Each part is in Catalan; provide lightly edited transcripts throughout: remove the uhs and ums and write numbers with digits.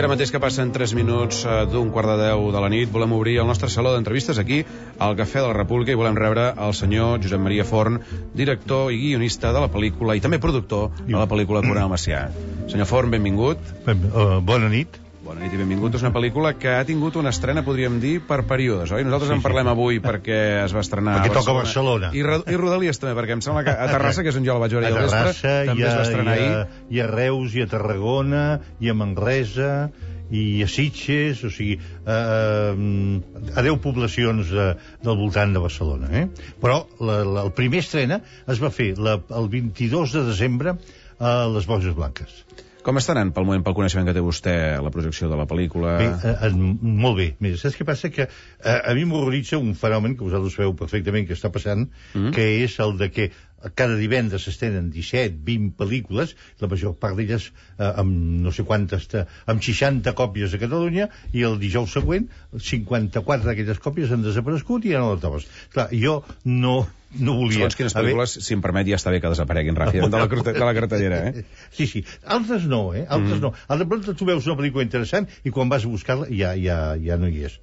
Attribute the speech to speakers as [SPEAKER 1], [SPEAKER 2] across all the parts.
[SPEAKER 1] I ara mateix que passen 3 minuts d'un quart de 10 de la nit, volem obrir el nostre saló d'entrevistes aquí, al Cafè de la República, i volem rebre el senyor Josep Maria Forn, director i guionista de la pel·lícula i també productor de la pel·lícula Coronel Macià. Senyor Forn, benvingut.
[SPEAKER 2] Bona nit.
[SPEAKER 1] Bona nit i benvingut. És una pel·lícula que ha tingut una estrena, podríem dir, per períodes, oi? Nosaltres en parlem avui perquè es va estrenar
[SPEAKER 2] perquè toca Barcelona.
[SPEAKER 1] I Rodalies també, perquè em sembla que a Terrassa, que és on jo la vaig veure ahir al vespre, també es va estrenar ahir.
[SPEAKER 2] I a Reus, i a Tarragona, i a Manresa, i a Sitges, o sigui, a 10 poblacions del voltant de Barcelona. Però el primer estrena es va fer el 22 de desembre a les Borges Blanques.
[SPEAKER 1] Com està anant pel moment, pel coneixement que té vostè, la projecció de la pel·lícula?
[SPEAKER 2] Bé, molt bé. Mira, saps què passa? Que a mi m'horroritza un fenomen que vosaltres sabeu perfectament que està passant, que és el de que cada divendres s'estrenen 17, 20 pel·lícules, la major part d'elles amb no sé quantes, amb 60 còpies a Catalunya, i el dijous següent 54 d'aquelles còpies han desaparegut i ja no les trobes. Clar, jo no volia...
[SPEAKER 1] Segons quines pel·lícules, si em permet, ja està bé que desapareguin ràpidament de la cartellera,
[SPEAKER 2] Sí. Altres no, Altres no. De pronto tu veus una pel·lícula interessant i quan vas a buscar-la ja no hi és.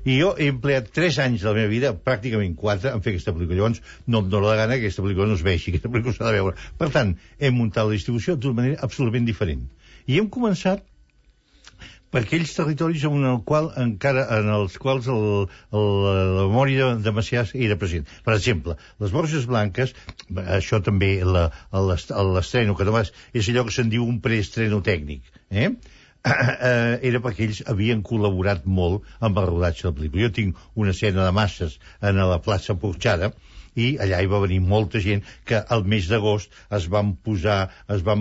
[SPEAKER 2] I jo he empleat 3 anys de la meva vida, pràcticament 4, en fer aquesta pel·lícula. Llavors, no em dóna la gana que aquesta pel·lícula no es vegi, aquesta pel·lícula s'ha de veure. Per tant, hem muntat la distribució d'una manera absolutament diferent. I hem començat per aquells territoris en els quals la memòria de Macià era present. Per exemple, les Borges Blanques, això també, l'estreno, que només és allò que se'n diu un preestreno tècnic, era perquè ells havien col·laborat molt amb el rodatge de la pel·lícula. Jo tinc una escena de masses a la plaça Porxada, i allà hi va venir molta gent que al mes d'agost es van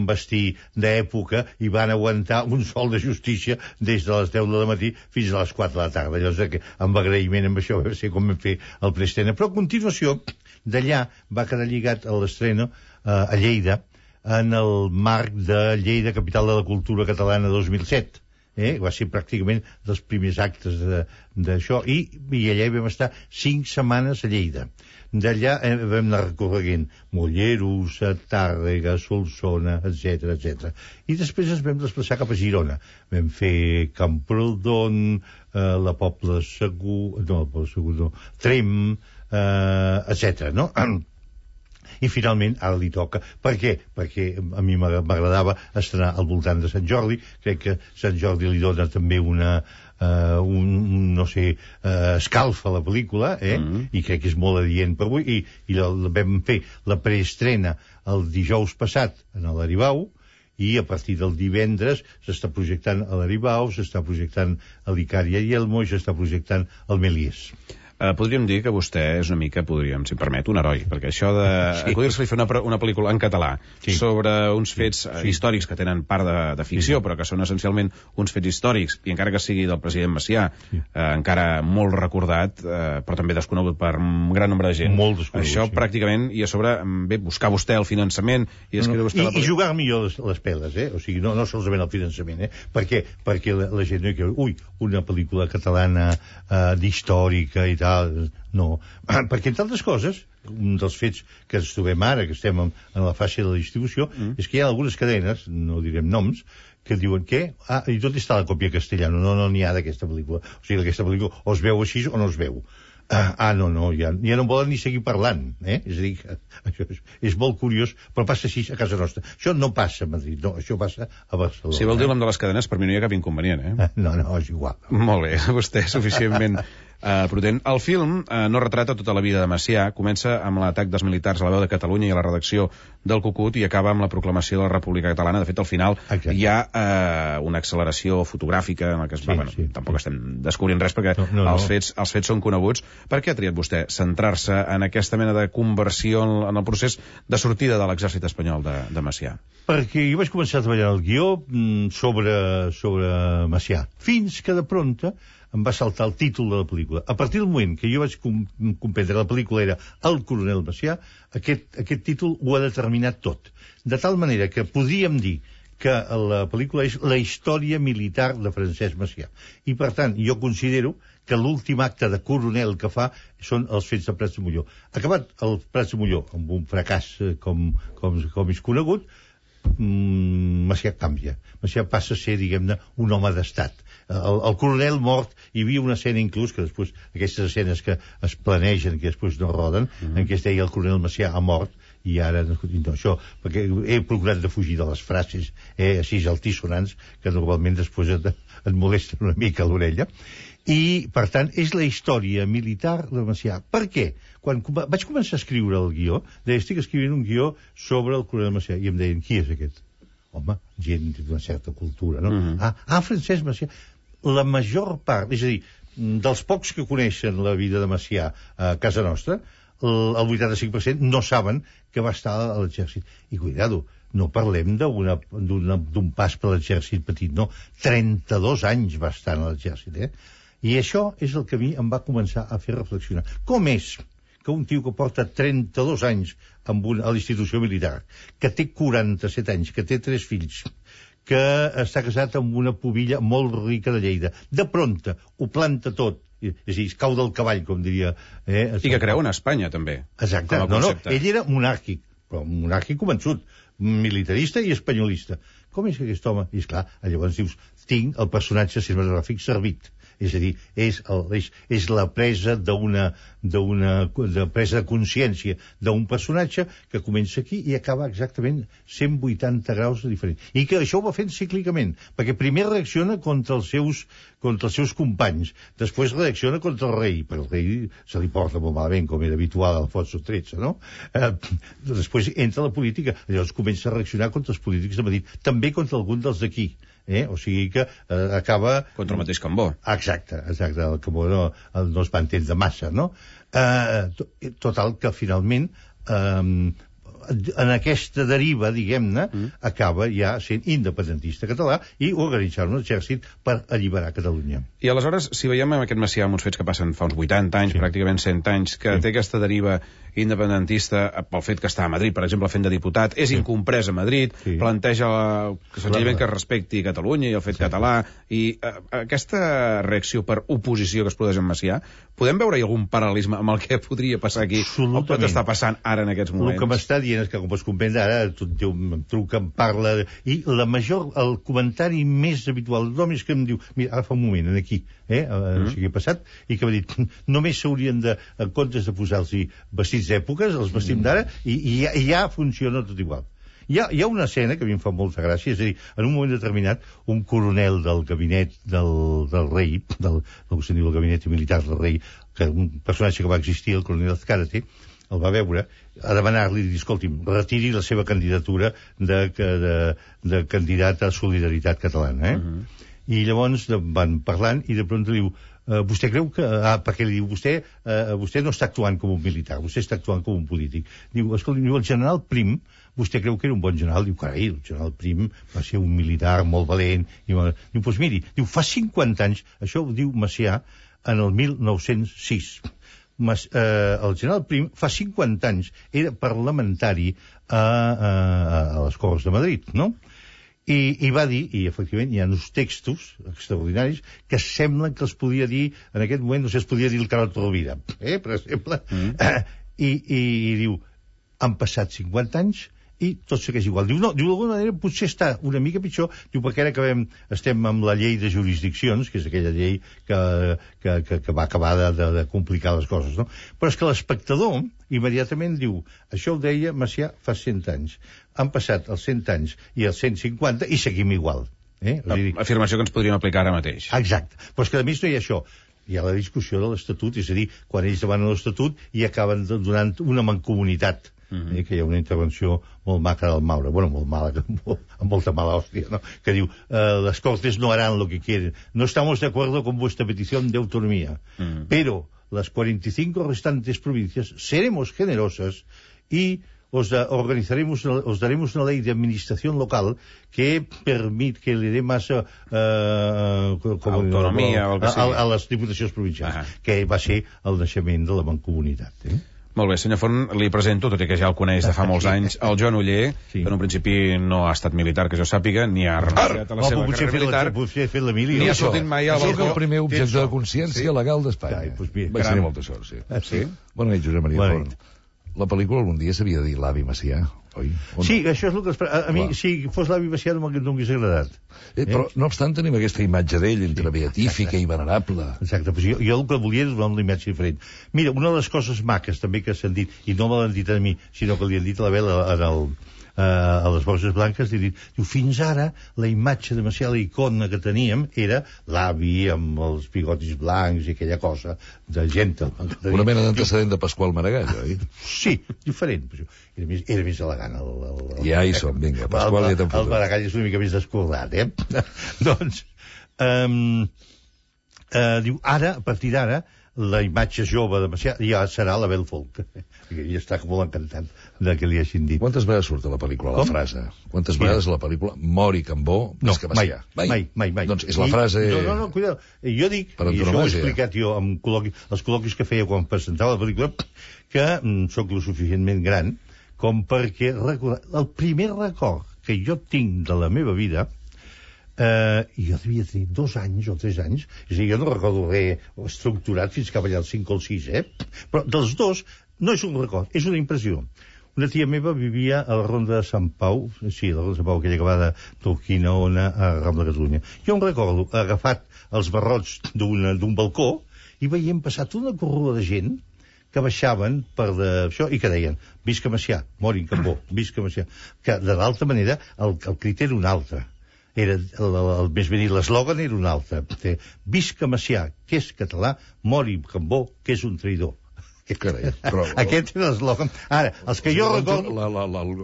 [SPEAKER 2] vestir d'època i van aguantar un sol de justícia des de les 10 del matí fins a les 4 de la tarda. Llavors, amb agraïment amb això, va ser com vam fer el preestrena. Però a continuació, d'allà va quedar lligat a l'estrena a Lleida, en el marc de Lleida, capital de la cultura catalana 2007. Va ser pràcticament dels primers actes d'això, i allà hi vam estar 5 setmanes a Lleida. D'allà vam anar recorreguent Molleros, Tàrrega, Solsona, etc. I després ens vam desplaçar cap a Girona. Vam fer Camprodon, la Pobla Segur, Trem, etc. no? I finalment ara li toca. Per què? Perquè a mi m'agradava estrenar al voltant de Sant Jordi. Crec que Sant Jordi li dona també escalfa a la pel·lícula, i crec que és molt adient per avui, i vam fer la preestrena el dijous passat en l'Aribau, i a partir del divendres s'està projectant a l'Aribau, s'està projectant a l'Icària i Elmo, i s'està projectant al Melies.
[SPEAKER 1] Podríem dir que vostè és una mica, si em permet, un heroi, perquè això d'acudir-se-li a fer una pel·lícula en català sobre uns fets històrics que tenen part de ficció, però que són essencialment uns fets històrics, i encara que sigui del president Macià, encara molt recordat, però també desconegut per un gran nombre de gent.
[SPEAKER 2] Molt desconegut.
[SPEAKER 1] Això pràcticament, i a sobre, buscar vostè el finançament i escriure vostè
[SPEAKER 2] i jugar millor les peles, o sigui, no solament el finançament, perquè la gent no hi creu, una pel·lícula catalana d'històrica i tal, no, perquè entre altres coses, un dels fets que ens trobem ara, que estem en la fase de la distribució, és que hi ha algunes cadenes, no direm noms, que diuen que, i tot està la còpia castellana, no n'hi ha d'aquesta pel·lícula. O sigui, aquesta pel·lícula o es veu així o no es veu. Ja no volen ni seguir parlant, És a dir, això és molt curiós, però passa així a casa nostra. Això no passa a Madrid, no, això passa a Barcelona.
[SPEAKER 1] Si vol dir el nom de les cadenes, per mi no hi ha cap inconvenient,
[SPEAKER 2] No, és igual.
[SPEAKER 1] Molt bé, vostè és suficientment prudent. El film no retrata tota la vida de Macià, comença amb l'atac dels militars a la Veu de Catalunya i a la redacció del Cucut i acaba amb la proclamació de la República Catalana. De fet, al final hi ha una acceleració fotogràfica en la que tampoc estem descobrint res perquè els fets són coneguts. Per què ha triat vostè centrar-se en aquesta mena de conversió en el procés de sortida de l'exèrcit espanyol de Macià?
[SPEAKER 2] Perquè jo vaig començar a treballar el guió sobre Macià, fins que de pronto em va saltar el títol de la pel·lícula. A partir del moment que jo vaig comprendre que la pel·lícula era El coronel Macià, aquest títol ho ha determinat tot. De tal manera que podríem dir que la pel·lícula és la història militar de Francesc Macià. I, per tant, jo considero que l'últim acte de coronel que fa són els fets de Prats de Molló. Acabat el Prats de Molló amb un fracàs com és conegut, Macià canvia. Macià passa a ser, diguem-ne, un home d'estat. El coronel mort, hi havia una escena inclús, que després, aquestes escenes que es planegen, que després no roden, en què es deia el coronel Macià ha mort, i ara, no, això, perquè he procurat de fugir de les frases així altisonants, que normalment després et molesten una mica a l'orella. I, per tant, és la història militar de Macià. Per què? Quan vaig començar a escriure el guió, deia, estic escrivint un guió sobre el coronel Macià, i em deien, qui és aquest? Home, gent d'una certa cultura, no? Francesc Macià. La major part, és a dir, dels pocs que coneixen la vida de Macià a casa nostra, el 85% no saben que va estar a l'exèrcit. I cuidado, no parlem d'un pas per l'exèrcit petit, no. 32 anys va estar a l'exèrcit, I això és el que a mi em va començar a fer reflexionar. Com és que un tio que porta 32 anys a l'institució militar, que té 47 anys, que té 3 fills, que està casat amb una pubilla molt rica de Lleida, de prompte ho planta tot, és a dir, es cau del cavall, com diria...
[SPEAKER 1] I que creu en Espanya, també.
[SPEAKER 2] Exacte. No, ell era monàrquic, però monàrquic convençut, militarista i espanyolista. Com és que aquest home... I esclar, llavors dius, tinc el personatge cinematogràfic servit. És a dir, és la presa presa de consciència d'un personatge que comença aquí i acaba exactament 180 graus de diferent. I que això ho va fent cíclicament, perquè primer reacciona contra els seus companys, després reacciona contra el rei, però el rei se li porta molt malament, com era habitual a Alfonso XIII, no? Després entra a la política, llavors comença a reaccionar contra els polítics de Madrid, també contra algun dels d'aquí. O sigui que acaba...
[SPEAKER 1] Contra el mateix Cambó.
[SPEAKER 2] Exacte, el Cambó no es va entendre massa, no? Total, que finalment en aquesta deriva, diguem-ne, acaba ja sent independentista català i organitzar un exèrcit per alliberar Catalunya.
[SPEAKER 1] I aleshores, si veiem en aquest Macià uns fets que passen fa uns 80 anys, pràcticament 100 anys, que té aquesta deriva independentista pel fet que està a Madrid, per exemple, fent de diputat, és incomprès a Madrid, planteja senzillament que es respecti Catalunya i el fet català, i aquesta reacció per oposició que es produeix en Macià, podem veure-hi algun paral·lelisme amb el que podria passar aquí, o pot estar passant ara en aquests moments?
[SPEAKER 2] El que m'està dient és que, com pots comprendre, ara em truca, em parla, i el comentari més habitual d'hom és que em diu, mira, ara fa un moment, aquí, no sé què ha passat, i que m'ha dit, només s'haurien de, en comptes de posar-los vestits d'èpoques, els vestim d'ara, i ja funciona tot igual. Hi ha una escena que a mi em fa molta gràcia, és a dir, en un moment determinat, un coronel del gabinet del rei, del que se'n diu el gabinet militar del rei, que un personatge que va existir, el coronel Azcárate, el va veure, a demanar-li, escolti'm, retiri la seva candidatura de candidat a Solidaritat Catalana, I llavors van parlant i de prompt diu, vostè creu que... perquè li diu, vostè no està actuant com un militar, vostè està actuant com un polític. Diu, escolta, el general Prim, vostè creu que era un bon general? Diu, carai, el general Prim va ser un militar molt valent. Diu, doncs miri, fa 50 anys, això ho diu Macià en el 1906. El general Prim fa 50 anys era parlamentari a les Corts de Madrid, no? I va dir, i efectivament hi ha uns textos extraordinaris que semblen que els podia dir, en aquest moment no sé, es podia dir el Carot Rovira, per exemple, i diu, han passat 50 anys i tot segueix igual. Diu, no, d'alguna manera potser està una mica pitjor, diu, perquè ara estem amb la llei de jurisdiccions, que és aquella llei que va acabar de complicar les coses, no? Però és que l'espectador immediatament diu, això ho deia Macià fa 100 anys. Han passat els 100 anys i els 150 i seguim igual.
[SPEAKER 1] Afirmació que ens podríem aplicar ara mateix.
[SPEAKER 2] Exacte. Però és que a més no hi ha això. Hi ha la discussió de l'Estatut, és a dir, quan ells demanen l'Estatut i acaben donant una mancomunitat. Que hi ha una intervenció molt maca del Maura, bueno, molt mala, amb molta mala hòstia, ¿no? Que diu, las Cortes no harán lo que quieren, no estamos de acuerdo con vuestra petición de autonomía, pero las 45 restantes provincias seremos generosas y os daremos una ley de administración local que permite que le dé más
[SPEAKER 1] autonomia
[SPEAKER 2] a les diputacions provincials, que va ser el naixement de la mancomunitat.
[SPEAKER 1] Molt bé, senyor Forn, li presento, tot i que ja el coneix de fa molts anys, el Joan Oller, que en un principi no ha estat militar, que jo sàpiga, ni ha renunciat a la seva carrera militar, ni ha sortit mai al balcó.
[SPEAKER 3] És el primer objecte de consciència legal d'Espanya. Vaig tenir molta sort, sí.
[SPEAKER 2] Sí?
[SPEAKER 3] Bona nit, Josep Maria Forn. la pel·lícula algun dia s'havia de dir l'Avi Macià, oi?
[SPEAKER 2] Sí, això és el que a mi, si fos l'Avi Macià no m'hagués agradat.
[SPEAKER 3] Però, no obstant, tenim aquesta imatge d'ell entre beatífica i venerable.
[SPEAKER 2] Exacte, però jo el que volia és donar una imatge diferent. Mira, una de les coses maques també que s'han dit, i no me l'han dit a mi, sinó que li han dit a la Bel a les Bosses Blanques, diu, fins ara la imatge de Macià, la icona que teníem, era l'avi amb els bigotis blancs i aquella cosa de gentleman.
[SPEAKER 3] Una mena d'antecedent de Pasqual Maragall, oi?
[SPEAKER 2] Sí, diferent. Era més elegant.
[SPEAKER 3] Ja hi som, vinga, Pasqual ja te'n fotrà.
[SPEAKER 2] El Maragall és una mica més descordat, Doncs, diu, ara, a partir d'ara, la imatge jove de Macià ja serà la Bel Folk. I està molt encantat de que li hagin dit.
[SPEAKER 3] Quantes vegades surt a la pel·lícula la frase? Quantes vegades a la pel·lícula mori Cambó més que Macià?
[SPEAKER 2] Mai.
[SPEAKER 3] Doncs és la frase...
[SPEAKER 2] No, cuidado. Jo dic, i això ho he explicat jo amb els col·loquis que feia quan presentava la pel·lícula, que sóc lo suficientment gran com perquè el primer record que jo tinc de la meva vida, jo devia tenir 2 anys o 3 anys, és a dir, jo no recordo res estructurat fins cap allà als 5 o 6, però dels dos no és un record, és una impressió. Una tia meva vivia a la Ronda de Sant Pau, sí, la Ronda de Sant Pau, aquella que va de Turquina-Ona a Rambla de Catalunya. Jo em recordo agafat els barrots d'un balcó i veiem passar tota una corrua de gent que baixaven per això i que deien visca Macià, mori Cambó, visca Macià. Que de l'altra manera el criteri era un altre. Era més ben dit, l'eslògan era un altre. Visca Macià, que és català, mori Cambó, que és un traïdor.
[SPEAKER 3] Carai, però...
[SPEAKER 2] Aquest era l'eslògan. Ara, els que jo recordo...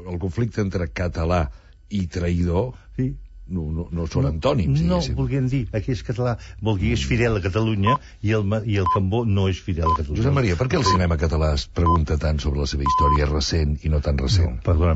[SPEAKER 3] El conflicte entre català i traïdor... Sí. No són antònims, diguéssim.
[SPEAKER 2] No, volguem dir, aquí és català, vol dir és fidel a Catalunya i el Cambó no és fidel a Catalunya.
[SPEAKER 3] Josep Maria, per què el cinema català es pregunta tant sobre la seva història recent i no tan recent?
[SPEAKER 2] No, perdona,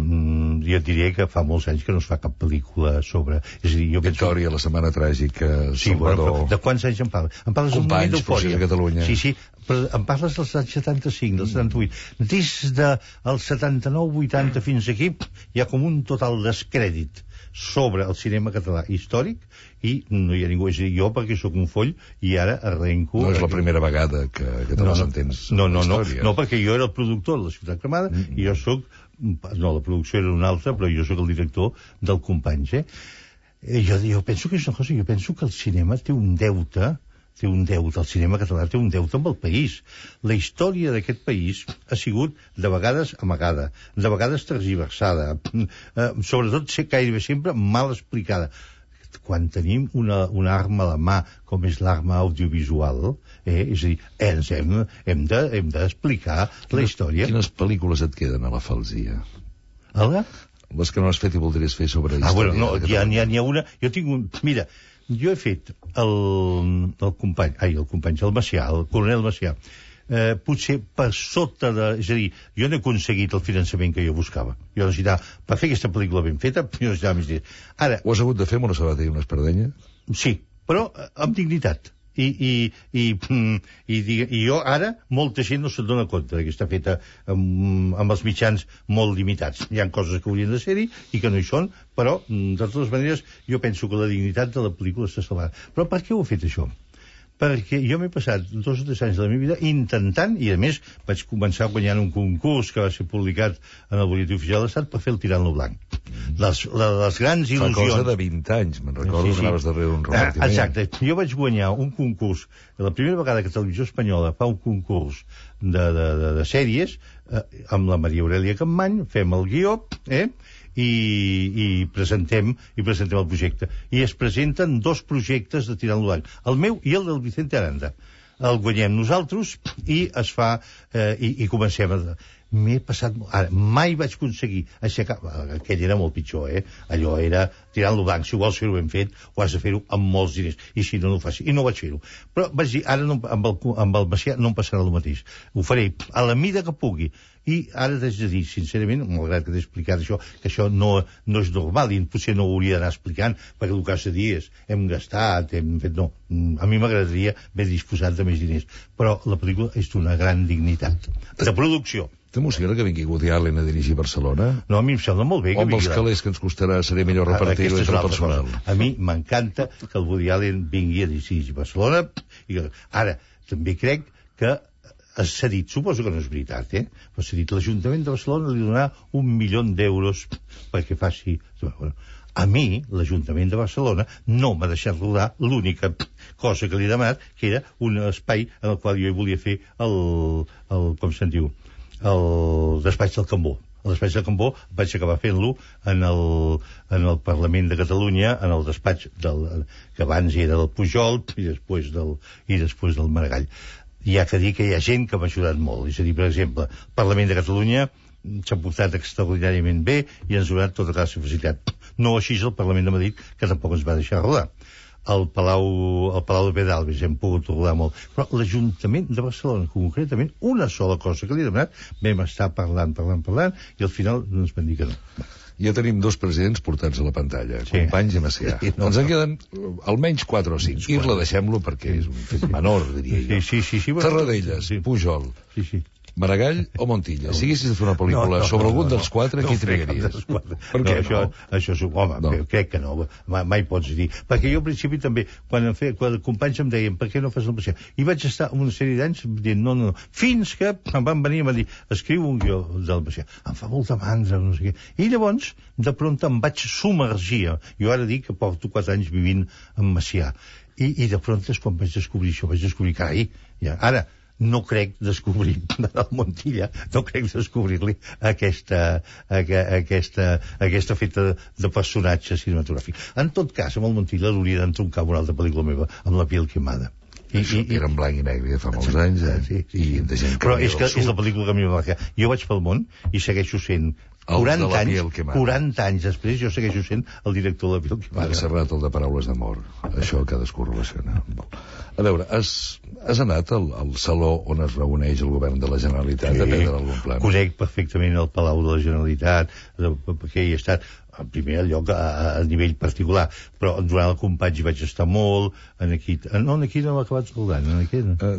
[SPEAKER 2] jo et diria que fa molts anys que no es fa cap pel·lícula sobre... És a dir, jo
[SPEAKER 3] Victòria, la setmana tràgica, Salvador...
[SPEAKER 2] Sí, de quants anys em parles? Em parles d'un moment d'eufòria.
[SPEAKER 3] Companys, de Catalunya.
[SPEAKER 2] Sí, però em parles dels anys 75, dels 78. Des del 79-80 fins aquí hi ha com un total descrèdit sobre el cinema català històric i no hi ha ningú, és a dir, jo perquè sóc un foll i ara arrenco...
[SPEAKER 3] No és la primera vegada que te les entens
[SPEAKER 2] no, perquè jo era el productor de la Ciutat Cremada i jo sóc... No, la producció era una altra, però jo sóc el director del Companys, Jo penso que és una cosa, jo penso que el cinema té un deute, el cinema català té un deute amb el país. La història d'aquest país ha sigut de vegades amagada, de vegades tergiversada, sobretot gairebé sempre mal explicada. Quan tenim una arma a la mà, com és l'arma audiovisual, és a dir, hem d'explicar la història.
[SPEAKER 3] Quines pel·lícules et queden a la falsia? Les que no has fet i voldries fer sobre història.
[SPEAKER 2] No, n'hi ha una... Jo tinc un... Mira, jo he fet el Macià, el coronel Macià, potser per sota de... És a dir, jo no he aconseguit el finançament que jo buscava. Jo necessitava, per fer aquesta pel·lícula ben feta, jo necessitava més diners. Ara...
[SPEAKER 3] Ho has hagut de fer amb una sabata i una espardenya?
[SPEAKER 2] Sí, però amb dignitat. I jo ara, molta gent no se'n dona compte que està feta amb els mitjans molt limitats. Hi ha coses que haurien de ser-hi i que no hi són, però, de totes maneres, jo penso que la dignitat de la pel·lícula està salvada. Però per què ho he fet, això? Perquè jo m'he passat 2 o 3 anys de la meva vida intentant, i a més vaig començar guanyant un concurs que va ser publicat en el Butlletí Oficial de l'Estat per fer el Tirant-lo Blanc. Les grans il·lusions...
[SPEAKER 3] Fa cosa de 20 anys, me'n recordo que anaves darrere un repartiment.
[SPEAKER 2] Exacte, jo vaig guanyar un concurs, la primera vegada que Televisió Espanyola fa un concurs de sèries, amb la Maria Aurèlia Campmany, fem el guió, i presentem el projecte. I es presenten 2 projectes de Tirant-lo Blanc, el meu i el del Vicente Aranda. El guanyem nosaltres i es fa i comencem a... M'he passat... Ara, mai vaig aconseguir aixecar... Aquell era molt pitjor, Allò era Tirant-lo Blanc. Si vols fer-ho ben fet, ho has de fer-ho amb molts diners. I si no, no ho faci. I no vaig fer-ho. Però vaig dir, ara no, amb el Macià no em passarà el mateix. Ho faré a la mida que pugui. I ara t'haig de dir, sincerament, malgrat que t'he explicat això, que això no és normal i potser no ho hauria d'anar explicant, perquè el que has de dir és, hem gastat, hem fet... No, a mi m'agradaria haver disposat de més diners. Però la pel·lícula és d'una gran dignitat. De producció.
[SPEAKER 3] T'emociona que vingui Woody Allen a dirigir Barcelona?
[SPEAKER 2] No, a mi em sembla molt bé que
[SPEAKER 3] vingui. O amb els calés que ens costarà seré millor repartir-ho entre el personal.
[SPEAKER 2] A mi m'encanta que el Woody Allen vingui a dirigir Barcelona. Ara, també crec que s'ha dit, suposo que no és veritat, però s'ha dit l'Ajuntament de Barcelona li donarà 1 milió d'euros perquè faci... Bueno, a mi, l'Ajuntament de Barcelona no m'ha deixat rodar l'única cosa que li he demanat, que era un espai en el qual jo hi volia fer com se'n diu, el despatx del Cambó. El despatx del Cambó vaig acabar fent-lo en el Parlament de Catalunya, en el despatx que abans era del Pujol i després del Maragall. Hi ha que dir que hi ha gent que m'ha ajudat molt. És a dir, per exemple, el Parlament de Catalunya s'ha portat extraordinàriament bé i ens ha donat tota classe de facilitat. No així el Parlament de Madrid, que tampoc ens va deixar rodar. Al Palau de Pedralbes hem pogut rodar molt. Però l'Ajuntament de Barcelona, concretament, una sola cosa que li he demanat, vam estar parlant, i al final ens van dir que no.
[SPEAKER 3] Ja tenim 2 presidents portats a la pantalla, Companys i Macià. Ens en queden almenys 4 o 5. I la deixem-lo perquè és un fet menor, diria jo.
[SPEAKER 2] Sí.
[SPEAKER 3] Tarradellas, Pujol, Maragall o Montilla? Si haguessis de fer una pel·lícula sobre algun dels 4, qui trigaries?
[SPEAKER 2] Per què no? Això és... Home, crec que no. Mai pots dir. Perquè jo al principi també, quan companys em deien per què no fas el Macià? I vaig estar una sèrie d'anys dient no. Fins que em van venir i em van dir escriu un guió del Macià. Em fa molta mandra, no sé què. I llavors, de pronto em vaig submergir. Jo ara dic que porto 4 anys vivint en Macià. I de pronto és quan vaig descobrir això. Vaig descobrir, carai, ara... No crec descobrir el Montilla, no crec descobrir-li aquesta feta de personatge cinematogràfic. En tot cas, amb el Montilla l'hauria d'entroncar una altra pel·lícula meva, amb La piel quemada.
[SPEAKER 3] Era en blanc i negre fa molts anys, i de gent
[SPEAKER 2] però és la pel·lícula que a mi va marcar. Jo vaig pel món i segueixo sent 40 anys després jo segueixo sent el director de La piel quemada.
[SPEAKER 3] Serrat, el de Paraules d'amor. Això cadascú relaciona. A veure, has anat al saló on es reuneix el govern de la Generalitat a prendre algun pla?
[SPEAKER 2] Conec perfectament el Palau de la Generalitat, perquè hi he estat en primer lloc a nivell particular, però durant el Companys hi vaig estar molt, aquí no l'he acabat saludant.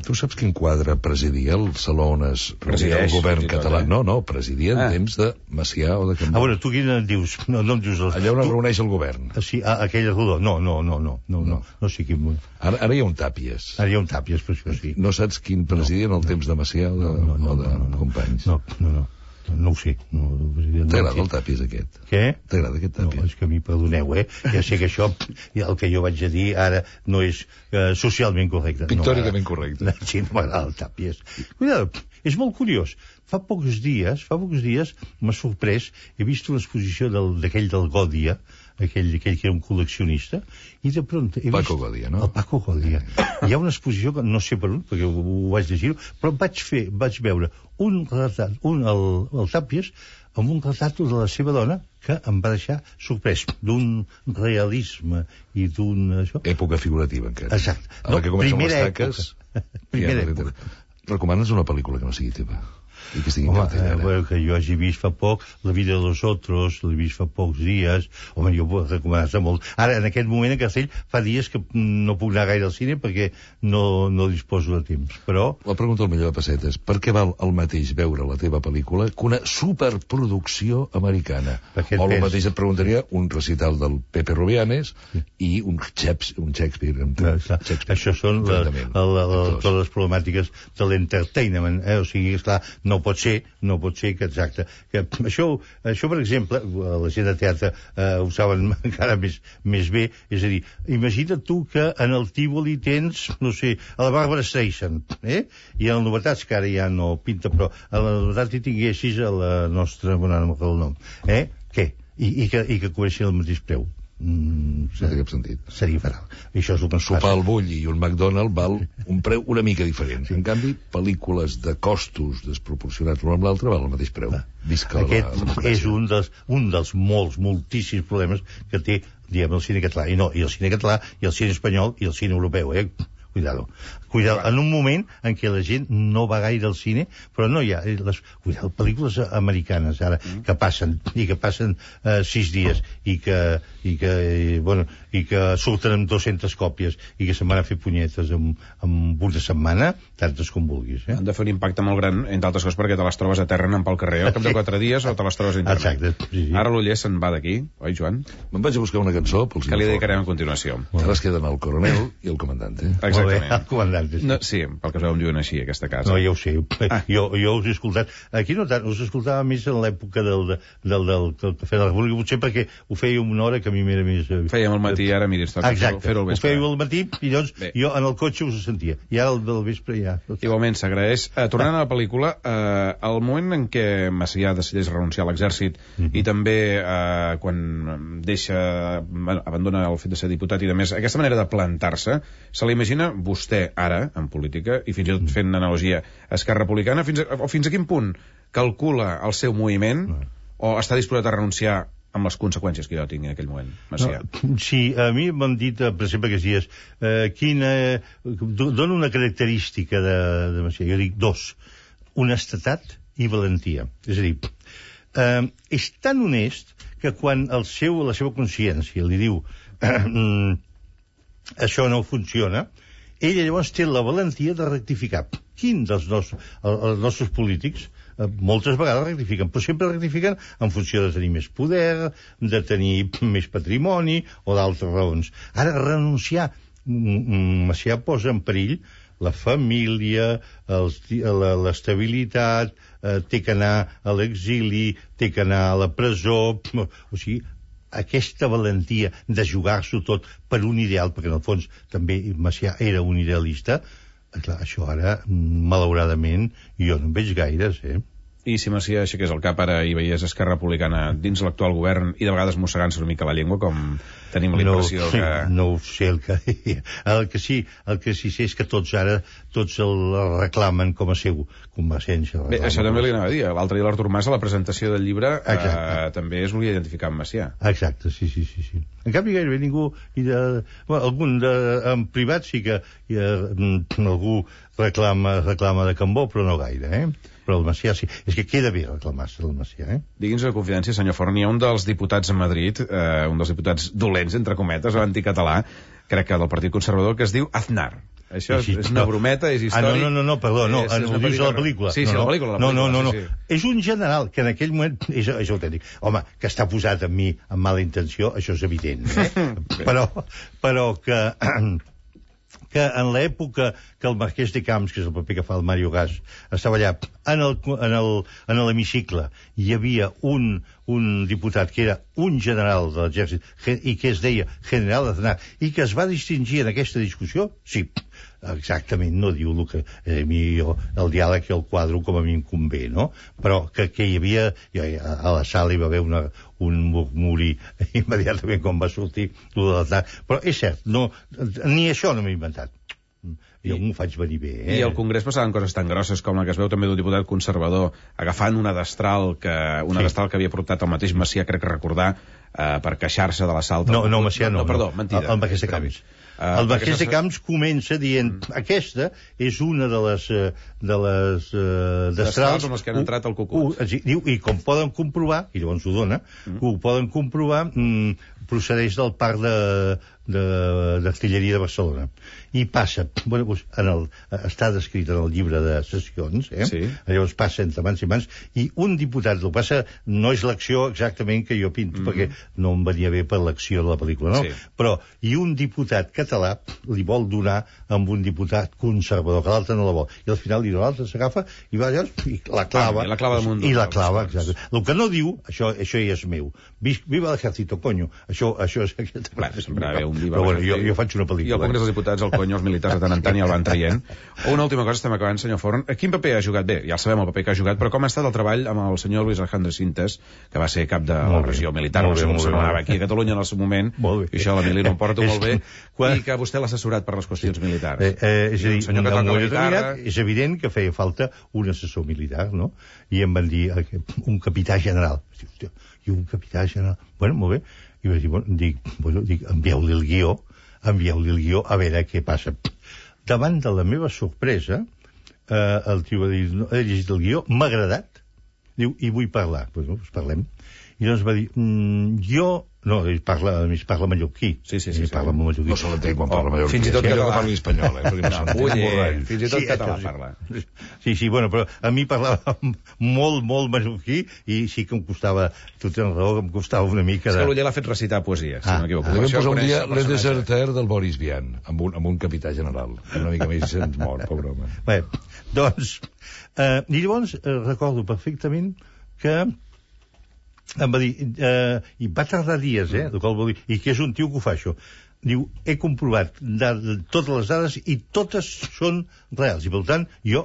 [SPEAKER 3] Tu saps quin quadre presidia el saló on es reunia el govern català? No, presidia en temps de Macià o de Cambó.
[SPEAKER 2] Tu quin en dius? No em dius...
[SPEAKER 3] Allà on es reuneix el govern.
[SPEAKER 2] Sí, aquella rodó. No sé quin...
[SPEAKER 3] Ara hi ha un Tàpies.
[SPEAKER 2] Ara hi ha un Tàpies, per això sí.
[SPEAKER 3] No saps quin presidia en el temps de Macià o de Companys?
[SPEAKER 2] No ho sé.
[SPEAKER 3] T'agrada el Tàpies aquest?
[SPEAKER 2] Què?
[SPEAKER 3] T'agrada aquest Tàpies?
[SPEAKER 2] No, és que a mi, perdoneu, ja sé que això, el que jo vaig a dir ara no és socialment correcte.
[SPEAKER 3] Pictòricament correcte.
[SPEAKER 2] Sí, no m'agrada el Tàpies. Cuidado, és molt curiós. Fa pocs dies m'ha sorprès, he vist una exposició d'aquell del Gòdia, aquell que era un col·leccionista, i de prompt...
[SPEAKER 3] Paco Gòdia, no?
[SPEAKER 2] El Paco Gòdia. Hi ha una exposició que no sé per on, perquè ho vaig llegir, però vaig veure un retrat, el Tàpies, amb un retrat de la seva dona que em va deixar sorprès, d'un realisme i d'un...
[SPEAKER 3] Època figurativa, encara.
[SPEAKER 2] Exacte.
[SPEAKER 3] Ara que comencen les
[SPEAKER 2] taques... Primera època.
[SPEAKER 3] Recomanes una pel·lícula que no sigui teva? I que estigui
[SPEAKER 2] que jo hagi vist fa poc La vida de los otros, l'he vist fa pocs dies. Home, jo ho he recomanat molt. Ara, en aquest moment en Castell fa dies que no puc anar gaire al cine perquè no disposo de temps, però...
[SPEAKER 3] La pregunta al millor de pessetes, per què val el mateix veure la teva pel·lícula que una superproducció americana? O el mateix et preguntaria un recital del Pepe Rubianes i un Shakespeare.
[SPEAKER 2] Això són totes les problemàtiques de l'entertainment, o sigui, esclar, no pot ser que exacte. Que això, per exemple, la gent de teatre ho saben encara més bé, és a dir, imagina't tu que en el Tívoli tens, no sé, a la Barbara Streisand, i en les novetats, que ara ja no pinta, però a la novetat hi tinguessis a la nostra, no m'agrada el nom, què? I que cobreixin el mateix preu.
[SPEAKER 3] No té cap sentit.
[SPEAKER 2] Seria fatal. Això és el que ens
[SPEAKER 3] sopar al Bull i un McDonald's val un preu una mica diferent. En canvi, pel·lícules de costos desproporcionats l'un amb l'altre val el mateix preu.
[SPEAKER 2] Aquest és un dels moltíssims problemes que té, diguem, el cine català. I el cine català, i el cine espanyol, i el cine europeu, Cuidado, en un moment en què la gent no va gaire al cine, però no hi ha pel·lícules americanes ara que passen 6 dies i que surten amb 200 còpies i que se'n van a fer punyetes amb una setmana, tantes com vulguis.
[SPEAKER 1] Han de fer un impacte molt gran, entre altres coses, perquè te les trobes a terra anant pel carrer al cap de 4 dies o te les trobes a internet.
[SPEAKER 2] Exacte, sí.
[SPEAKER 1] Ara l'Uller se'n va d'aquí, oi, Joan?
[SPEAKER 3] Me'n vaig a buscar una cançó
[SPEAKER 1] que li dedicarem a continuació.
[SPEAKER 3] Ara es queden el coronel i el comandante.
[SPEAKER 1] Exacte. exactament.
[SPEAKER 2] El comandant.
[SPEAKER 1] No, sí, pel que es veu em diuen així, aquesta casa.
[SPEAKER 2] No, ja ho sé. Jo us he escoltat. Aquí no tant, us escoltava més en l'època del Cafè de la República, potser perquè ho feia una hora que a mi m'era més...
[SPEAKER 1] Fèiem al matí, ara miri, està fer-ho al vespre.
[SPEAKER 2] Ho fèieu al matí i llavors jo en el cotxe us sentia. I ara el del vespre ja...
[SPEAKER 1] Igualment, s'agraeix. Tornant a la pel·lícula, el moment en què Macià decideix renunciar a l'exèrcit i també quan abandona el fet de ser diputat i de més, aquesta manera de plantar-se, se l'imagina vostè ara, en política, i fins i tot fent analogia a Esquerra Republicana, fins a quin punt calcula el seu moviment o està disposat a renunciar amb les conseqüències que jo tingui en aquell moment, Macià?
[SPEAKER 2] Sí, a mi m'han dit, per exemple, aquests dies, dona una característica de Macià. Jo dic dos: honestedat i valentia. És a dir, és tan honest que quan la seva consciència li diu això no funciona, ella llavors té la valentia de rectificar. Quin dels els nostres polítics moltes vegades rectifiquen, però sempre rectifiquen en funció de tenir més poder, de tenir més patrimoni o d'altres raons. Ara, renunciar, Macià posa en perill la família, l'estabilitat, té que anar a l'exili, té que anar a la presó... O sigui, aquesta valentia de jugar-s'ho tot per un ideal, perquè en el fons també Macià era un idealista, clar, això ara, malauradament, jo no en veig gaires,
[SPEAKER 1] I si Macià aixequés el cap ara i veiés Esquerra Republicana dins l'actual govern i de vegades mossegant-se una mica la llengua, com tenim la impressió que...
[SPEAKER 2] No ho sé, el que sí sé és que tots el reclamen com a seu convergència.
[SPEAKER 1] Bé, això també li anava a dir. L'altre dia l'Artur Mas, a la presentació del llibre, també es volia identificar amb Macià.
[SPEAKER 2] Exacte, sí. En canvi, gairebé ningú... Algun en privat sí que algú reclama de Cambó, però no gaire, Però el Macià sí. És que queda bé reclamar-se del Macià,
[SPEAKER 1] Digui'ns una confidència, senyor Forn, hi ha un dels diputats a Madrid, un dels diputats dolents, entre cometes, anticatalà, crec que del Partit Conservador, que es diu Aznar. Això és una brometa, és històric...
[SPEAKER 2] No, perdó, no, ho dius a la pel·lícula.
[SPEAKER 1] Sí, la pel·lícula.
[SPEAKER 2] No. És un general que en aquell moment és autèntic. Home, que està posat amb mi amb mala intenció, això és evident, però que en l'època que el Marquès de Camps, que és el paper que fa el Mario Gas, estava allà en l'hemicicle, hi havia un diputat que era un general de l'exèrcit i que es deia General Aznar i que es va distingir en aquesta discussió, sí, exactament, no diu el que el diàleg i el quadro com a mi em convé, no? Però que hi havia, a la sala hi va haver un murmuri immediatament quan va sortir lo de l'Aznar, però és cert, ni això no m'he inventat. Jo m'ho faig venir bé,
[SPEAKER 1] I al Congrés passaven coses tan grosses com la que es veu també d'un diputat conservador agafant una destral que havia portat el mateix Macià, crec que recordar, per queixar-se de l'assalt.
[SPEAKER 2] No, Macià no.
[SPEAKER 1] Perdó, mentida.
[SPEAKER 2] El Marquès de Camps. El Marquès de Camps comença dient aquesta és una de les destrals
[SPEAKER 1] amb les que han entrat al Cucut.
[SPEAKER 2] Diu, i com poden comprovar, i llavors ho dona, ho poden comprovar, procedeix del parc d'artilleria de Barcelona. I passa, està descrit en el llibre de sessions, llavors passa entre mans i mans, i un diputat, el passa, no és l'acció exactament que jo pinto, perquè no em venia bé per l'acció de la pel·lícula, no? Però, i un diputat català li vol donar amb un diputat conservador, que l'altre no la vol. I al final l'altre s'agafa i va allà i la clava.
[SPEAKER 1] I la clava damunt.
[SPEAKER 2] I la clava, exacte. El que no diu, això ja és meu. Viva l'ejército, coño. Això és... Però bueno, jo faig una pel·lícula.
[SPEAKER 1] I al Congrés dels Diputats, el coño, els militars de tant en tant ja el van traient. Una última cosa, estem acabant, senyor Forn. Quin paper ha jugat? Bé, ja sabem el paper que ha jugat, però com ha estat el treball amb el senyor Luis Alejandro Sintes, que va ser cap de la regió militar, no sé com s'anomenava aquí a Catalunya en el seu moment, i això l'Emili no em porta molt bé, i que vostè l'ha assessorat per les qüestions militars.
[SPEAKER 2] És a dir, és evident que feia falta un assessor militar, no? I em van dir un capità general. I un capità general... Bueno, molt bé. I vaig dir, envieu-li el guió, a veure què passa. Davant de la meva sorpresa, el tio va dir, he llegit el guió, m'ha agradat, diu, i vull parlar. Doncs parlem. I llavors va dir, jo No, ell parla mallorquí.
[SPEAKER 1] Sí.
[SPEAKER 2] Parla mallorquí.
[SPEAKER 3] No se l'entén quan parla mallorquí.
[SPEAKER 1] Fins i tot
[SPEAKER 3] que
[SPEAKER 1] català.
[SPEAKER 3] parli espanyol,
[SPEAKER 1] Fins i tot català parla.
[SPEAKER 2] Sí, bueno, però a mi parlava molt mallorquí i sí que em costava, tu tens raó, que em costava una mica
[SPEAKER 1] És que l'Uller l'ha fet recitar poesia, si no m'equivoco.
[SPEAKER 3] Li vam posar un dia Le Deserter del Boris Vian, amb un capità general. Una mica més se'ns mor, pobre home.
[SPEAKER 2] Bé, doncs, i llavors recordo perfectament que em va dir, i va tardar dies, i que és un tio que ho fa això. Diu, he comprovat totes les dades i totes són reals, i per tant, jo,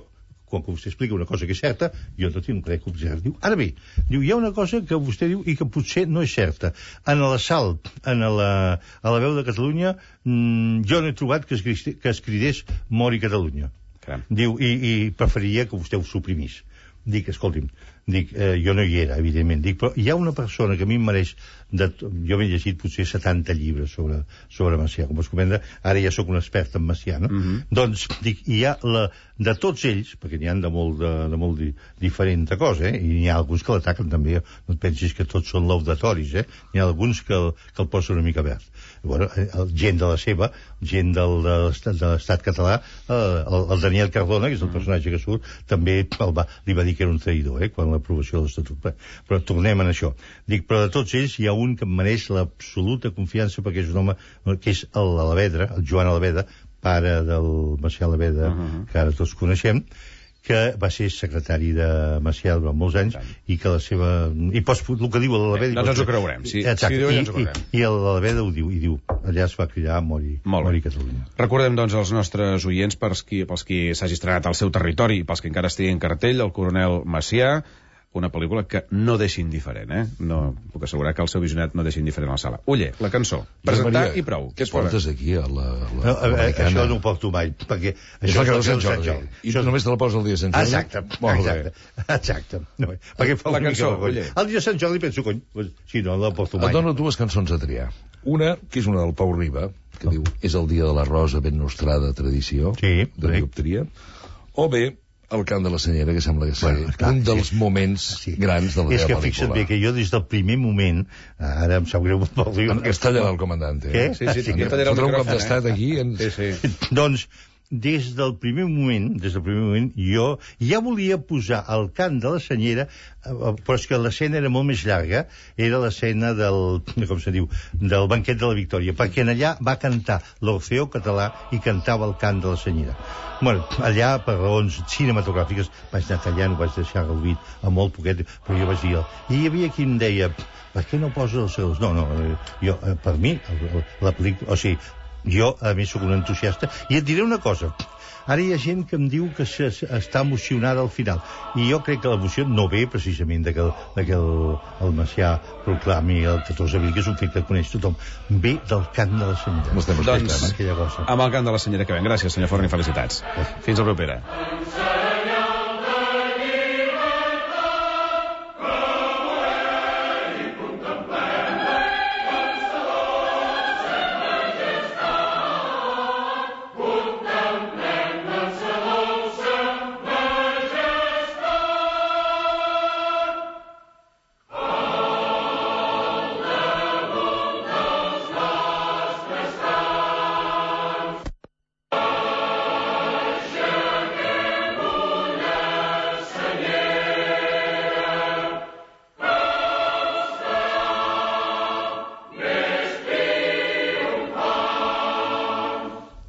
[SPEAKER 2] quan vostè explica una cosa que és certa, jo no tinc res que observar. Diu, ara bé, hi ha una cosa que vostè diu i que potser no és certa. En l'assalt a la veu de Catalunya, jo no he trobat que es cridés Mori Catalunya. Diu, i preferiria que vostè ho suprimís. Dic, escolti'm, jo no hi era, evidentment. Dic, però hi ha una persona que a mi em mereix... Jo m'he llegit potser 70 llibres sobre Macià. Com es comenta, ara ja sóc un expert en Macià, no? Doncs, dic, hi ha de tots ells, perquè n'hi ha de molt diferent cosa, i n'hi ha alguns que l'ataquen també, no et pensis que tots són laudatoris, n'hi ha alguns que el posen una mica verd. Bueno, gent de la seva, gent de l'estat català, el Daniel Cardona, que és el personatge que surt, també li va dir que era un traïdor, quan l'aprovació de l'Estatut. Però tornem a això. Dic, però de tots ells hi ha un que em mereix l'absoluta confiança perquè és un home que és l'Alavedra, el Joan Alaveda, pare del Macià Alaveda, que ara tots coneixem, que va ser secretari de Macià durant molts anys i que la seva... I el que diu l'Alaveda...
[SPEAKER 1] Doncs ens ho creurem.
[SPEAKER 2] I l'Alaveda ho diu, i diu, allà es va cridar Mori Catalunya.
[SPEAKER 1] Recordem, doncs, als nostres oients, pels qui s'hagi estrenat al seu territori i pels que encara estigui en cartell, el coronel Macià, una pel·lícula que no deixa indiferent, No puc assegurar que el seu visionat no deixa indiferent a la sala. Uller, la cançó. Presentar i prou.
[SPEAKER 3] Què portes aquí, a l'americana?
[SPEAKER 2] Això no ho porto mai, perquè...
[SPEAKER 3] Això és el Sant Jordi. I només te la posa el dia de Sant Jordi?
[SPEAKER 2] Exacte. Perquè fa
[SPEAKER 1] la cançó, Uller.
[SPEAKER 2] El dia de Sant Jordi penso, cony, si no la porto mai.
[SPEAKER 3] Et dono dues cançons a triar. Una, que és una del Pau Riba, que diu, és el dia de la rosa ben nostrada tradició, de dioptria, o bé, el cant de la senyera, que sembla que ser un dels moments grans de la meva pel·lícula.
[SPEAKER 2] És que fixa't bé que jo des del primer moment, ara em sap greu molt poc dir...
[SPEAKER 3] En castellà el comandante.
[SPEAKER 2] Què?
[SPEAKER 1] Sí,
[SPEAKER 3] fotrà un cop d'estat aquí.
[SPEAKER 2] Doncs, des del primer moment, jo ja volia posar el cant de la senyera, però és que l'escena era molt més llarga, era l'escena del banquet de la Victòria, perquè allà va cantar l'Orfeó Català i cantava el cant de la senyera. Bueno, allà, per raons cinematogràfiques, vaig anar tallant, ho vaig deixar reduït a molt poquet, però jo vaig dir... I hi havia qui em deia, per què no poses els seus? No, jo, per mi, la pel·lícula... O sigui, jo, a més, sóc un entusiasta, i et diré una cosa. Ara hi ha gent que em diu que està emocionada al final, i jo crec que l'emoció no ve precisament de que el Macià proclami el 14 d'abril, que és un fet que coneix tothom, ve del cant de la senyera.
[SPEAKER 1] Doncs, amb el cant de la senyera que ven. Gràcies, senyor Forn, i felicitats. Fins la propera.